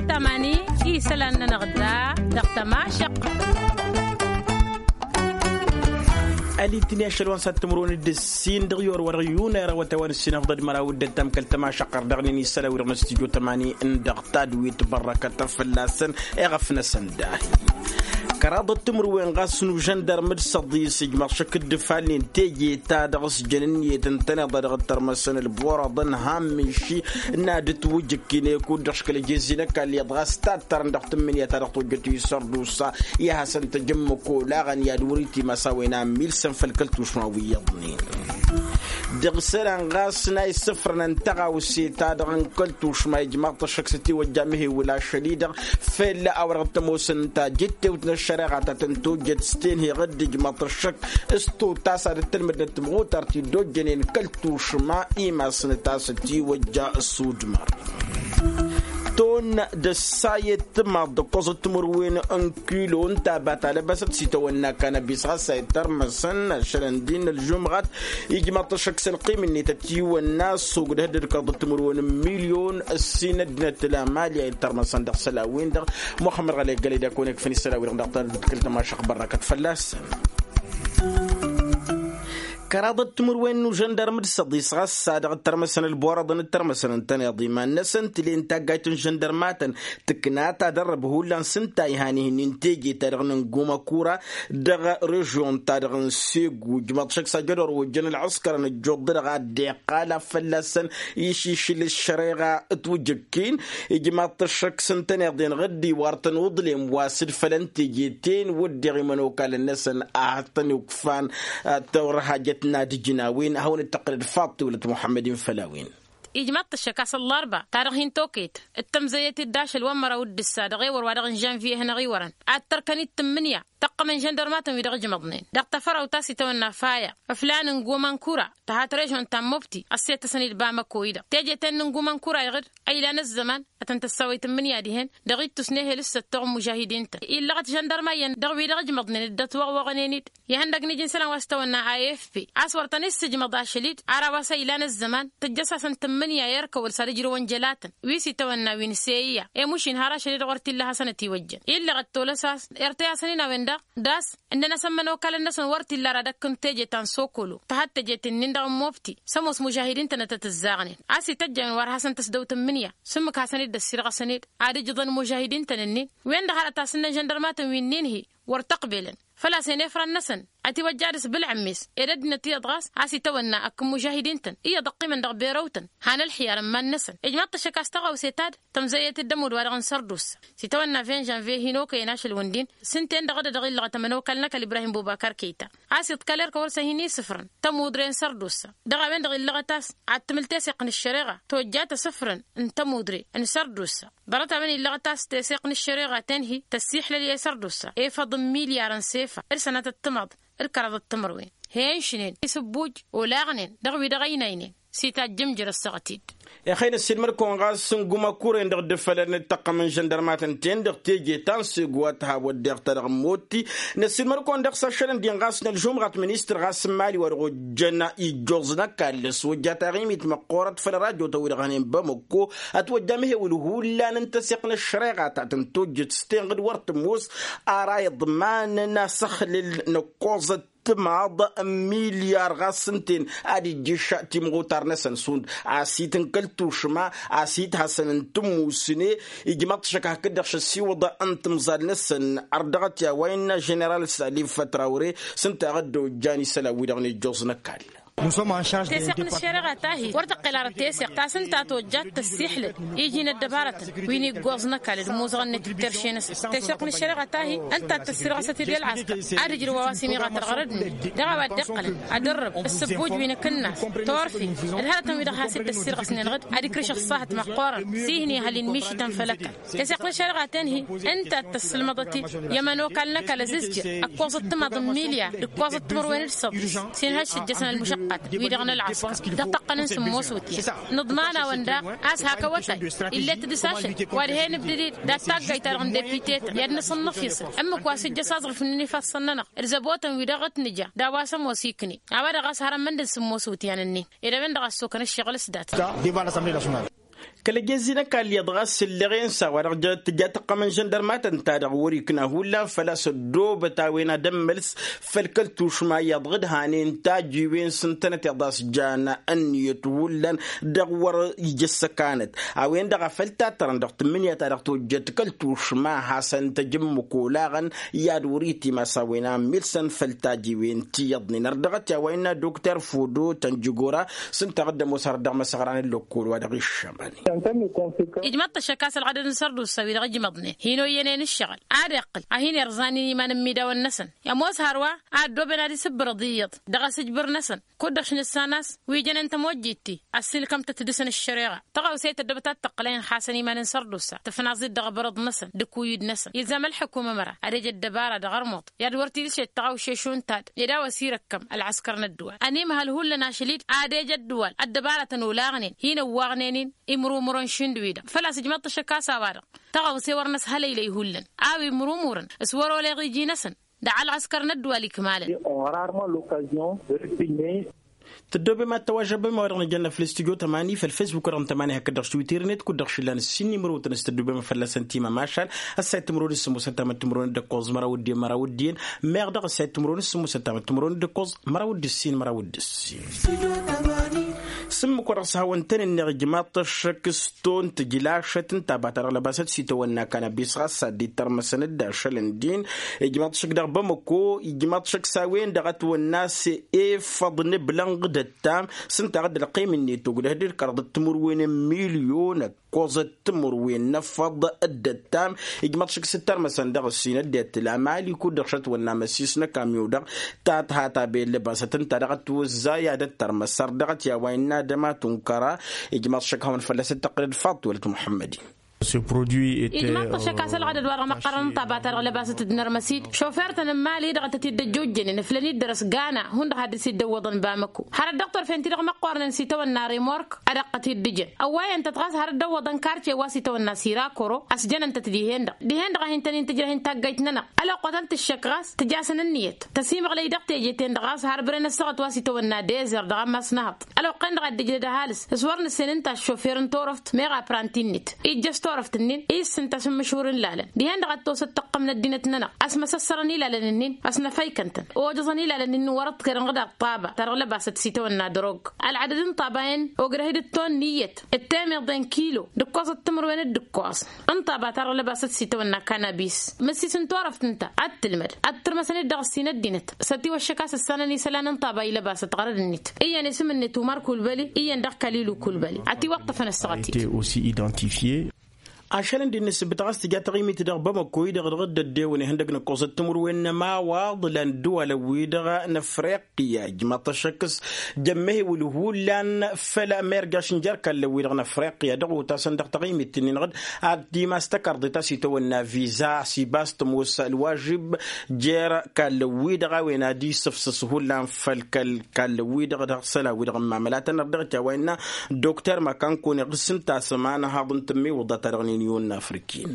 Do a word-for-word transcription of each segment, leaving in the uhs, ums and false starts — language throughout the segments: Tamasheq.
Tamani isălan-nănăɣ da dăɣ-tămašăq. Ălitni ašăl wa n-sat timǝrwen d-ǝssin dăɣ-i orwăr yunăr awătawăn ǝssin ăfḍăd măraw d-ăttam kăl-tămašăq ărdăɣnen isălan wi-dăɣ n-stujo tămani n-dăɣ tadwit bărrăkăt fălla-săn. Iɣăf-năsăn dahi kăraḍăt timǝrwen ɣas n-užăndărm d-săḍis ijmăɣ šăk dd-falnen teje-ta-dăɣ s-jăn ǝnniyăt ǝntăneḍ a dăɣ-dd-tărmăsăn ălborăḍăn hammǝnši n-ad-ǝtwǝjǝkkin ekud-dăɣ škăl ejezzi n-ăkall iyyăḍ ɣas tattărăn dăɣ-tǝmmǝnǝya ta dăɣ-tojjăt i-sărdusa. I-ad-hasăn-tăjǝmmǝk olaɣăn i-ad-wăr-itimăsawăyăn ammil săn făll-kăl-tušma wi iyyăḍnen dăɣ-isălan ɣas n-a issǝfrăn n-tăɣawse-ta-dăɣ n-kăl-tušma ijmaḍ-t ăššăk s-ătiwăjja mihewǝl ašăl-i-dăɣ fell-a-wa dăɣ-tămoosăn ta jǝttewt n-ăššăreɣa ta tăn-tojjăt s-tenheɣ dd-ijmaḍ-t ăššăk s-totas ad-dd-tălmǝdnăt timɣutar ti dd-ojjănen kăl-tušma imasnăt a-s ătiwăjja s-udmăr. Ton d-ăssayăt timaḍ d-ǝkkoẓăt timǝrwen n-kilo n-taba ta lăbăsăt s-itawănna kanăbis ɣas a itărmăsăn ašălăn din ălžumɣat ijmaḍ-t ăššăk s-ălqim-net ătiwănna s-ogdăh dd-ǝkkaḍăt timǝrwen n-milyon ǝssin ăddinăt lamali a itărmăsăn dăɣ-isălan-win-dăɣ. Muxămmăd ɣălek gălăy d-akăwăn-ikfăn isălan-wi-dăɣ dăɣ-tadǝt kăl-tămašăq bărrăkăt fălla-săn. Kăraḍăt timǝrwen n-užăndărm d-săḍis ɣas s-a-dăɣ ǝttărmăsăn ălborăḍăn ǝttărmăsăn ǝntăneḍ iman-năsăn tǝlen taggayt n-žăndărmatăn tǝkna tadărrăb hullan s-ǝnta ihan ihǝnnin teje-ta-dăɣ n-ǝngumăkura dăɣ-režyon-ta-dăɣ n-segu ǝjmăḍ šăkk s-ajădor ojjăn ălɣǝskărăn ǝjjuḍ-dăɣ ad-dd-iqqal a fălla-săn išišǝl ăššăreɣa ătwǝjǝkkin. Ijmaḍ-t ăššăk s-ǝntăneḍ-en ɣǝddiwar-tăn uḍlem wa s-dd-fălăn teje-ten wădden imănokalăn-năsăn a hăt-tăn-ukfan. Tawăr hajăt n-ad-ǝjǝn a-wen ad-hawăn-dd-tăqqǝlăd faḍt tewlăt muḥămmăd-in făll-a-wen. Ijmaḍ-t ăššăk a-s ăllarba ta dăɣ-hin-tokăyăt d-tămzăyăt-dd ašăl wa n-măraw d-ǝssa dăɣ-ewăr wa dăɣ-n žănvye-hi-năɣ iwărăn ad-tărkăn-dd tǝmmǝnǝya tăqqămăn žăndărmatăn-wi-dăɣ ǝjmăḍnen dăɣ-tafărawt a-s itawănna faya ǝflan n-gumănkura tăhat režon ta n-mobti ăssiyăt-tăsăn-dd bamăko-i-dăɣ teje-ten n-gumănkura iɣǝd a ilan ăzzăman ad-tăn-tăssawăy tǝmmǝnǝya dihen dăɣ-ittus n-ehel s-săttoɣ n-mužahidin-tăn. Illăɣăt žăndărma iyyăn dăɣ-wi-dăɣ ǝjmăḍnen dd-ătwăɣwăɣnen-dd ihăndăg n-iji n-isălan wa s-tawănna a f p a-s wăr tăn-issǝjmăḍ ašăl-dd ara wa s-a ilan ăzzăman tǝjjăs-asăn tǝmmǝnǝya i-ărkăwăl s-ad-ǝjrǝwăn jălatăn wi s-itawănna wi n-seya i-mušin har ašăl-dd ɣur t-illa hasăn-ătiwăjjăn illăɣăt tolăs a-s irtăy-asăn-in a-wen-dăɣ d-a-s ǝnnăn-asăn imănokalăn-năsăn wăr t-illa ara dăkk n-teje ta n-sokolo tăhat teje-t-nin dăɣ-n mobti s-ămoos mužahidin-tăn ad-tăt-ǝzzaɣnen a-s ităjj a-wen wăr hasăn-tăsdăw tǝmmǝnǝya s-ǝmmǝk hasăn-dd-ăssirɣăsăn-dd ad-ǝjǝḍăn mužahidin-tăn-nin wen-dăɣ hărăt a-s ǝnnăn žăndărmatăn wi-nin-hi wăr t-ăqbelăn făl-a-s en efran-năsăn ătiwăjja dăɣ-s bǝlɣǝmmes ed ăddinăt iyyăḍ ɣas a-s itawănna akk n-mužahidin-tăn iyyăḍ ăqqimăn dăɣ-berăw-tăn han ălxiyar n-iman-năsăn ijmaḍ-t ăššăk a-s tăɣawse ta dd-tămzăyyăt-dd ămudd wa-dăɣ n-sărdusa s-itawănna vingt žănvye hin-okăyăn ašăl-wǝndin s-ǝnta-en-dăɣ dd-dăɣ-illăɣăt ămănokal n-ăkall ibrahim bubakar kăyta a-s iḍkăl erk wăr s-ăhin-isǝfrăn tămudre n-sărdusa dăɣ-a-wen-dăɣ illăɣăt a-s ad-tǝmǝl teseɣt n-ăššăreɣa tojjat asǝfrăn n-tămudre n-sărdusa ḍarăt-a-wen illăɣăt a-s teseɣt n-ăššăreɣa ten-hi tăssiiḥlăl i-sărdusa efăḍ n-milyar n-sefa d-sănatăt timaḍ d-kăraḍăt timărwen he-inšnen isǝbbuj olaɣnen dăɣ-wi-dăɣ ăynaynen s-itajjǝmjăr ăssaɣăt-dd. Ixăyy năssiilmăd-kăwăn ɣas n-gumăkuren dăɣ-dd-fălăn d-taqqăm n-žăndărmatăn-ten dăɣ-teje ta n-segu wa t-ha wădden ta dăɣ-motti. Năssiilmăd-kăwăn dăɣ-s ašăl ǝndin ɣas n-ălžumɣăt ministăr ɣas n-imali wa dăɣ-ojjăn ijjuẓ n-ăkall s-wăjja taɣimit măqqoorăt făll-rajotăn wi-dăɣ hănen bamăkko ătwăjja mihewǝl hullan n-tăseɣt n-ăššăreɣa ta tăn-tojjăt s-tenɣǝd wăr tămoos ara iḍmanăn asăxlǝl n-ăkkoẓăt timaḍ n-milyar ɣas ǝnta-en ad-ijjǝš timɣutar-năsăn šund asit n-kăl-tušma asit hasăn-tǝmmusne. Ijmaḍ-t šăkk hakd-dăɣ šăssiwăḍ n-timẓal-năsăn ărdăɣăt i-a-wa innă ženeral salif trawre s-ǝnta a dd-ojjan isălan-wi-dăɣ n-ijjuẓ n-ăkall. Teseɣt n-ăššăreɣa ta-hi wăr tăqqel ara teseɣt ta s-ǝnta tojjat tăssiiḥlăd iji n-ăddăbarătăn wi n-iggoẓ n-ăkall d-imuzăɣăn-net d-terše-năsăn teseɣt n-ăššăreɣa ta-hi ǝnta ad-tăssirɣăsăt-dd i-ălɣăskăr ad-ǝjrǝw a-wa s-imiɣatăr ɣărăd-net dăɣ-a-wa dd-iqqălăn ad-ărrăb ǝssǝbbuj wi n-akǝnnas torfi d-hărătăn-wi-dăɣ has-dd-ăssirɣăsnen ɣǝd ad-ikrǝš ăṣṣahăt măqqoorăn s-ihni ehăl inmišităn făll-ăkall. Teseɣt n-ăššăreɣa ten-hi ǝnta ad-tăssǝlmăḍăt-dd i-ămănokal n-ăkall ăzǝzjăr ǝkkoẓăt timaḍ n-milya d-ǝkkoẓăt timărwen d-săḍis s-inhăš s-ǝjjăsăn ălmušăqqat-wi-dăɣ n-ălɣăskăr dăɣ-tăqqăn n-sǝmmos wǝtyan. Nǝḍman-awăn daɣ a-s hak awătay ill'-et dăɣ-s ašăl wa dăɣ-he-nǝbdǝd-dd dat-taggayt-ta-dăɣ n-depute-tăn i-ad-nǝsǝnnǝfisăl ǝmmǝk wa s-ǝjjăš aẓrǝf n-inǝfassăn-nănăɣ d-zăbotăn wi dăɣ-t nǝja d-a-wa s-ămoos ikne. A-wa dăɣ-a-s hărămmăn d-sǝmmos wǝtyan-ǝnnin ed a-wen-dăɣ a ăssokăn ǝššăɣǝl s-dat. Kăl-ăjezzi n-ăkall iyyăḍ ɣas ǝlleɣ-en s-a-wa-dăɣ tǝja tăqqăm n-žăndărma-tăn-ta-dăɣ wăr-ikna hullan făl-a-s ăddoobăt a-wen ad-ămmăls făll-kăl-tušma iyyăḍ d-hanen tajiwen s-ǝntănăt iyyăḍ a-s jan ǝnniyăt hullan dăɣ-wăr ija ăssăkanăt. A-wen-dăɣ a făl tattărăn dăɣ-tǝmmǝnǝya-ta-dăɣ tojjăt kăl-tušma hasăn-tăj ǝmmǝk olaɣăn i-ad-wăr-itim a-s a-wen a ămmilsăn făll-tajiwen ti iyyăḍnen ărdăɣăt i-a-wa innă dokter fodo tănjǝgora s-ǝnta a dd-ămoos har dăɣ-imăsăɣran n-lăkkol wa dăɣ-iššămăn. Ijmăḍ-t ăššăk a-s ălɣădăd n-sărdusa wi-dăɣ ijmăḍnen hin-oyyănen ǝššăɣǝl ad-iqqǝl ad-hin-irẓan i-iman n-imidawăn-năsăn. Ămoos hărwa a ăddooben ad-isǝbbărăḍ iyyăḍ dăɣ-asǝjbǝr-năsăn kud-dăɣ š-nǝssan a-s wi jănen tămojjit-ti ăssiilkăm-tăt dăɣ-săn ăššăreɣa. Tăɣawse tăddăbăt ad-tăqqǝlăyăn xasăn iman n-sărdusa tǝfnaẓ-dd dăɣ-abărăḍ-năsăn d-ikuyyǝd-năsăn ilzam ălḥǝkum ămăra ad-ej ăddăbara dăɣ-ărmuḍ i-ad-wăr t-ila šed tăɣawše šund ta-dd ed a-wa s-irăkkăm ălɣăskăr n-ăddǝwal ănimhăl hullan ašăl-dd ad-ej ăddǝwal ăddăbaratăn olaɣnen hin-ăwwaɣnen-in imrumurăn šund-wi-dăɣ făl-a-s ǝjmăḍ-t ăššăk a-s a-wa-dăɣ tăɣawse wăr năshălăylăy hullan a-wa imrumurăn s-wăr-olăy iɣiji-năsăn. Dăɣ-ălɣăskăr n-ăddǝwal ikmalăn. Tăddoobem ad-tăwažăbem a-wa dăɣ-nǝjănna făll-studyo tămani făll-fesbuk wa dăɣ-nǝtămani hakd-dăɣ s-twitter-net kud-dăɣ šillan ǝssin n-imrǝwtăn s-tăddoobem a fălla-săn timămašal. Ăssayăt timǝrwen d-sǝmmosăt tamăt timǝrwen d-ǝkkoẓ măraw d-iyyăn măraw d-iyyăn. Meɣ dăɣ-ăssayăt timǝrwen d-sǝmmosăt tamăt timǝrwen d-ǝkkoẓ măraw d-ǝssin măraw d-ǝssin. S-ǝmmǝk wa dăɣ-s hawăn-tăn-ǝnneɣ ijmaḍ-t ăššăk s-ton tǝjlašăt ǝnta a bata dăɣ-lăbasăt s-itawănna kanabis ɣas ad-dd-ittărmăsăn-dd ašăl n-din. Ijmaḍ-t ăššăk dăɣ-bamăko ijmaḍ-t ăššăk s-a-wen-dăɣ ătwănna s-efăḍ n-iblănɣ d-ăttam s-ǝnta a dd-ălqim-net ogdăh d-kăraḍăt timǝrwen n-milyon ăkkoẓăt timǝrwen n-efăḍ. D-ăttam ijmaḍ-t ăššăk s-ǝttărmăsăn dăɣ-ǝssin ăddinăt tǝla mali kud-dăɣ šătwănna măssis n-ăkamyo-dăɣ ta tǝha ta ben lăbasăt ǝnta dăɣ-ătwăzzay ad-ăttărmăsăr dăɣ-t i-a-wa innă ad-ămatunkăra. Ijmaḍ-t ăššăk a hawăn fălla-s dd-tăqqǝlăd faḍt wălăt muḥămmăd-in. Ijmaḍ-t ăššăk a-s ălɣădăd wa dăɣ-măqqărăn ănṭabat-a-dăɣ lăbasăt d-inărmăsid šofer-tăn n-mali dăɣ-tăt-dd-ăjjojjănen ǝflăn-dd dăr-s gana hundăɣ ad-dăr-s dd-ăwwăḍăn bamăko har ăddăɣ torfen-ti-dăɣ măqqoornen s-itawănna remork. Ad-ăqqăt-dd-ǝjăn ăwwayăn-tăt ɣas har dd-ăwwăḍăn karce wa s-itawănna sirakoro ăsjănăn-tăt dihen-dăɣ dihen-dăɣ a hin-tăn-in-tǝjrăh n-taggayt-nănăɣ. Ăloqqătăn-t ăššăk ɣas tǝj'-asăn ǝnniyăt tăsimăɣlăy dăɣ-teje-ten-dăɣ ɣas har bren ăssaɣăt wa s-itawănna dezer dăɣ-ammas n-ehăḍ. Ăloqqen-dăɣ ad-dd-ǝjrăd ăhalǝs s-wăr nǝssen ǝnta ăššofer n-torăft meɣ apranti-net ijjăš torăft-nin i-ǝssǝnta s-ǝmmǝšur n-ilalăn dihen-dăɣ ad-tosăt tăqqăm n-ăddinăt-nănăɣ. Ăsmăsăssărăn ilalăn-nin ăsnăfăykăn-tăn ojăẓăn ilalăn-nin wăr-ăḍkărăn ɣǝd-aṭṭaba ta dăɣ-lăbasăt s-itawănna drog. Ălɣădăd n-iṭṭabayăn ogdăh-dd ǝtton n-iyyăt d-temeḍe n-kilo d-ǝkkoẓăt timǝrwen d-ǝkkoẓ n-iṭṭaba ta dăɣ-lăbasăt s-itawănna kanabis. Măssis n-turăft ǝnta ad-tǝlmăd ad-tǝrmăsăn-dd dăɣ-ǝssin ăddinăt s-ătiwăššăk a-s ǝssanăn isălan n-iṭṭaba ilăbasăt ɣărăd-net iyyăn isǝm-net umar kulbăli iyyăn dăɣ-kalilu kulbăli. Ătiwăṭṭăfăn ăssaɣăt-dd. Ašăl ǝndi n-inǝssǝbbǝt ɣas tǝja taɣimit dăɣ-bamăko-i-dăɣ dăɣ-dd-ăddewăn ihăndăg n-ǝkkoẓăt timǝrwen n-ămawaḍ lan ǝddǝwalăn-wi-dăɣ n-afriqya ijmaḍ-t ăššăk s-jămmăhewǝl hullan făll-amirjaš n-jer-ikallăn-wi-dăɣ n-afriqya dăɣ-otasăn dăɣ-taɣimit-nin-dăɣ. Ad-timas tăkarḍit a-s itawănna viza a-s ibas tămoos ălwažib jer-ikallăn-wi-dăɣ a-wen ad-isǝfsǝs hullan făll-kăl-ikallăn-wi-dăɣ dăɣ-isălan-wi-dăɣ n-imamălatăn ărdăɣ-t i-a-wa innă dokter makankone ɣǝs-ǝnta a-s ămanhaḍ n-tǝmmiwǝḍa-ta-dăɣ n-inyon n-afrikin.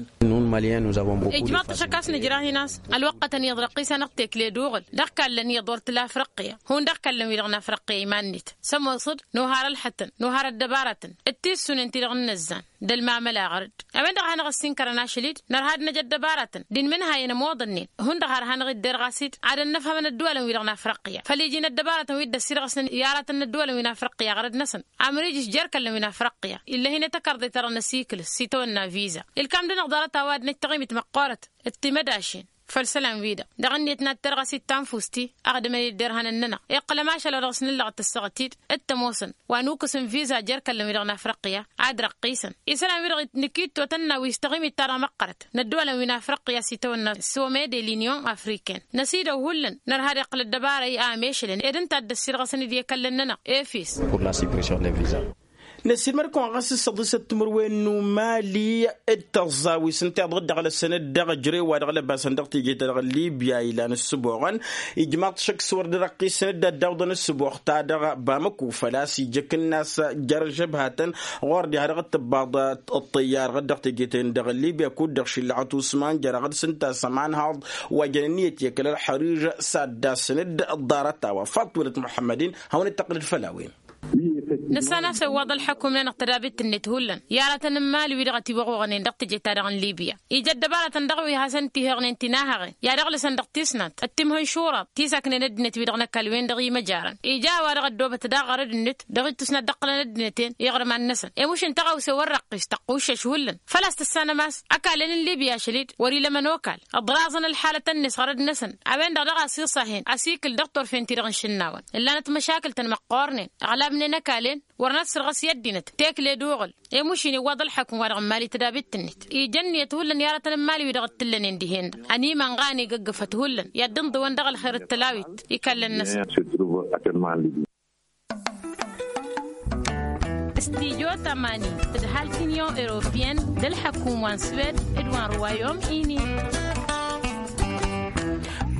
Ijmaḍ-t ăššăk a-s nǝjrahin a-s ălwăqqătăn iyyăḍ răqqis-anăɣ tekle d-uɣǝl dăɣ-ikallăn iyyăḍ wăr t-la afriqya hundăɣ ikallăn-wi-dăɣ n-afriqya iman-net. Sămoosăd nohar ălxătăn nohar ăddăbaratăn d-tissunen-ti-dăɣ n-inăzzan d-ălmamăla ɣăr-dd. A-wen-dăɣ a hanăɣ-ăssinkărăn ašăl-dd nărha ad-năj ăddăbaratăn d-inmǝnhayăn ămoḍănnen hundăɣ har hanăɣ-dd-derɣas-dd ad-ănnăfhămăn ădduwalăn-wi-dăɣ n-afriqya făll-iji n-ăddăbaratăn wi dd-ăssirɣăsnen i-aratăn n-ădduwalăn-wi n-afriqya ɣărăd-năsăn. Amrijǝš jer-ikallăn wi n-afriqya ill'-e hin-e tăkarḍe-ta-dăɣ n-asikǝl s-itawănna viza. Ilkam-dăɣ-năɣ ḍarăt a-wa ad-năj taɣimit măqqoorăt d-timădašen făll-isălan-wi-dăɣ dăɣ-ǝnniyăt n-ad-terɣăs i-tanfust-i ăɣdǝmăn-dd derhanăn-nănăɣ iqqălăm ašăl wa dăɣ-s nǝllăɣăt ăssaɣăt-dd. D-tămoosăn wa nukǝs n-viza jer-ikallăn-wi-dăɣ n-afriqya ad-răqqisăn isălan-wi-dăɣ nǝkitto tănna wi s-taɣimit-ta-dăɣ măqqărăt n-ădduwalăn wi n-afriqya s-itawănna sommet de l'union africaine. Năsidăw hullan nărha ad-iqqǝl ăddăbara i-amešălăn ed ǝnta a dd-ăssirɣăsăn-dd i-ikallăn-nănăɣ efis. Năssiilmăd-kăwăn ɣas s-săḍisăt timǝrwen n-umali d-tăẓẓawis ǝnta iḍɣǝd dăɣ-lăsăn-dd dăɣ-ejărew wa dăɣ-lăbasăn dăɣ-teje-ta-dăɣ n-libya ilan ǝssǝboɣăn. Ijmaḍ-t šăkk s-wăr dd-răqqisăn-dd ad-dd-awǝḍăn ǝssǝboɣ-ta-dăɣ bamăko făl-a-s ijăkǝnna a-s jer-žăbhatăn ɣur-diha dăɣ-tǝbbaḍ ăṭṭăyyar ɣǝd-dăɣ teje-ten-dăɣ n-libya kud-dăɣ šillăɣăt usman jer-aɣǝd s-ǝnta s-ămanhaḍ wa jăn ǝnniyăt i-kăl-ălxăriž s-ad-dd-asǝn-dd ḍarăt-a-wa faḍt wălăt muḥămmăd-in. Hawăn-dd-tăqqǝlăd făll-a-wen. Nǝssan a-s iwwaḍ ălḥăkum-nănăɣ tădabit-net hullan i-aratăn n-imali-wi-dăɣ ătiwăɣuɣănen dăɣ-teje-ta-dăɣ n-libya. Ija ăddăbarătăn dăɣ-wi hasăn-t-ihăɣnen tinahaɣen i-ad-ăɣlǝsăn dăɣ-tisnant ăttimhăn šuraḍ ti s-aknen ăddinăt-wi-dăɣ n-ăkall-wen-dăɣ imăjarăn. Ija a-wa dăɣ-ăddoobăt daɣ ɣărăd-net dăɣ-ittusnat d-ăqqǝlăn ăddinăt-en iɣrǝm ad-năsăn i-mušǝn tăɣawse wăr răqqis tăqquššăš hullan. Făl-a-s tǝssanăm a-s ăkall-en n-libya ašăl-dd wăr-ila ămănokal ǝḍraẓăn ălḥalăt-net ɣărăd-năsăn. A-wen-dăɣ daɣ a s-iṣahen asikǝl dăɣ-turfen-ti-dăɣ n-išǝnnawăn ǝllanăt măšakǝl-tăn măqqoornen. Ăɣlabnen ăkall-en wăren ad-sărɣăs i-ăddinăt tekle d-uɣǝl. I-mušin iwwaḍ ălḥăkum-wa-dăɣ n-imali tădabit-net ija ǝnniyăt hullan i-aratăn n-imali-wi-dăɣ t-tǝllănen dihen-dăɣ ănimănɣa ănigăggăfăt hullan i-ad-dd-ǝnḍǝwăn dăɣ-ălxer d-tălawit. Ikallăn-năsăn s-tidjo tămani tǝdhal t-inyon europeyăn d-ălḥăkum wa n-swed d-wa n-ruwayom ini.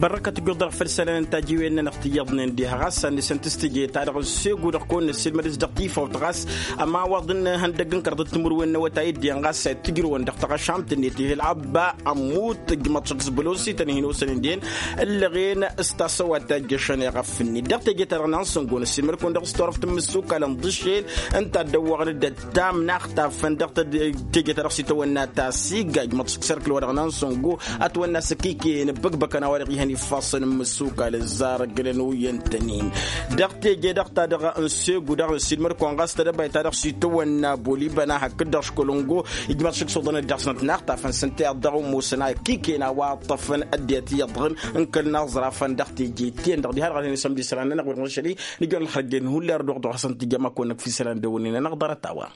Bărrăkăt ǝjjuḍ-dăɣ făll-isălan n-tajiwen-nănăɣ ti iyyăḍnen diha ɣas a n-nǝsǝnt s-teje-ta-dăɣ n-segu dăɣ-kăwăn-năssilmăd dăɣ-s dăɣ-tifawt ɣas ămawaḍ n-ihăndăgg n-kăraḍăt timǝrwen n-awătay d-iyyăn ɣas a itǝjrǝwăn dăɣ-taɣăšamt-net ihil abba ămmut ǝjmăḍ šăkk s-bălosi tăn-hin-osănen dihen ǝllăɣen s-tasăwat ta ijjăšăn iɣăf-net dăɣ-teje-ta-dăɣ n-ansăngo năssilmăd-kăwăn dăɣ-s turăft n-imǝssukal ǝnḍǝšel. Ǝnta a dd-ăwwăɣăn-dd ăttam n-axtafăn dăɣ-teje-ta-dăɣ s-itawănna ta s-igga ǝjmăḍ šăkk s-erkǝl-wa-dăɣ n-ansăngo ătwănna s-ăkikăyăn ǝbbăgbăkăn a-wa-dăɣ ihăn ifassăn n-imǝssukal ǝzzarăgnen uyyăn-tăn-in. Dăɣ-teje-dăɣ-ta-dăɣ n-segu dăɣ-n silmăd-kăwăn ɣas tedăbayt-ta-dăɣ s-itawănna bolibăna hakd-dăɣ školongo. Ijmăḍ šik s-oḍăn-dd dăɣ-snăt n-axtafăn s-ǝnta iyyăḍ dăɣ-umusăn a ikikăyăn a-wa ǝṭṭăfăn ăddinăt iyyăḍ dăɣ-n n-kăl-năɣ ẓrafăn dăɣ-teje-ten-dăɣ diha-dăɣ ad-hin-isămd isălan-nănăɣ wăr n-ašăl-i. Nǝjăr ălxărjen hullan ărdăɣ dăɣ-hasăn-t-ija ma kăwăn-năkf isălan d-ewănnen-nănăɣ ḍarăt-a-wa.